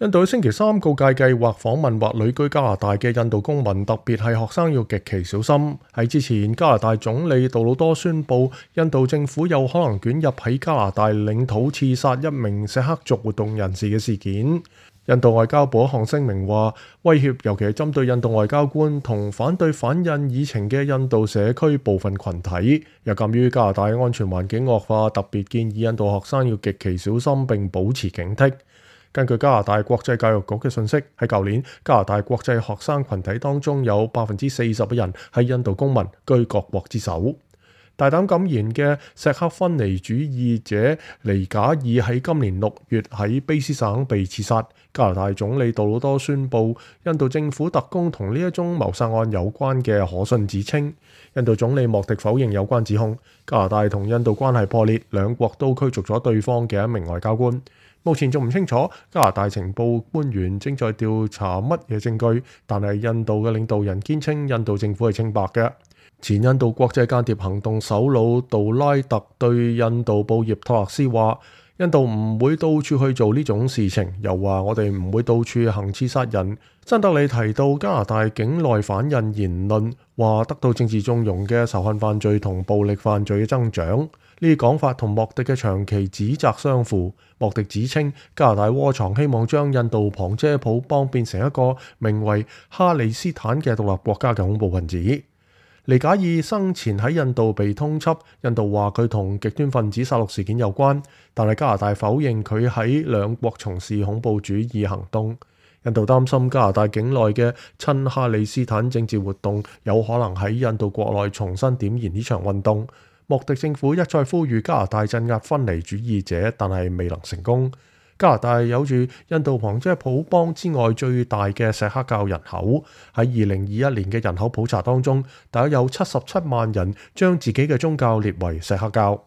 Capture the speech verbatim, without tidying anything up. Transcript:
印度星期三告誡計劃訪問或旅居加拿大嘅印度公民，特別係學生要極其小心。喺之前，加拿大總理杜魯多宣布，印度政府有可能捲入喺加拿大領土刺殺一名錫克族活動人士嘅事件。印度外交部一項聲明話，威脅尤其係針對印度外交官同反對反印議程嘅印度社區部分群體。又鑑於加拿大安全環境惡化，特別建議印度學生要極其小心並保持警惕。根據加拿大國際教育局嘅信息，喺舊年加拿大國際學生群體當中有百分之四十嘅人係印度公民，居各國之首。大膽敢言嘅錫克分離主義者尼賈爾喺今年六月喺卑斯省被刺殺。加拿大總理杜魯多宣布，印度政府特工同呢一宗謀殺案有關嘅可信指稱。印度總理莫迪否認有關指控。加拿大同印度關係破裂，兩國都驅逐咗對方嘅一名外交官。目前仲唔清楚加拿大情報官員正在調查乜嘢證據，但係印度嘅領導人堅稱印度政府係清白嘅。前印度國際間諜行動首腦杜拉特對印度報業托勒斯話：印度唔會到處去做呢種事情，又話我哋唔會到處行刺殺人。新德里提到加拿大境內反印言論，話得到政治縱容嘅仇恨犯罪同暴力犯罪嘅增長。呢啲講法同莫迪嘅長期指責相符。莫迪指稱加拿大窩藏希望將印度旁遮普邦變成一個名為哈利斯坦嘅獨立國家嘅恐怖分子。尼賈爾生前喺印度被通緝，印度話佢同極端分子殺戮事件有關，但係加拿大否認佢喺兩國從事恐怖主義行動。印度擔心加拿大境內嘅親哈利斯坦政治活動有可能喺印度國內重新點燃呢場運動。莫迪政府一再呼籲加拿大鎮壓分離主義者，但係未能成功。加拿大有住印度旁遮普邦之外最大嘅錫克教人口，喺二零二一年嘅人口普查當中，大約有七十七萬人將自己嘅宗教列為錫克教。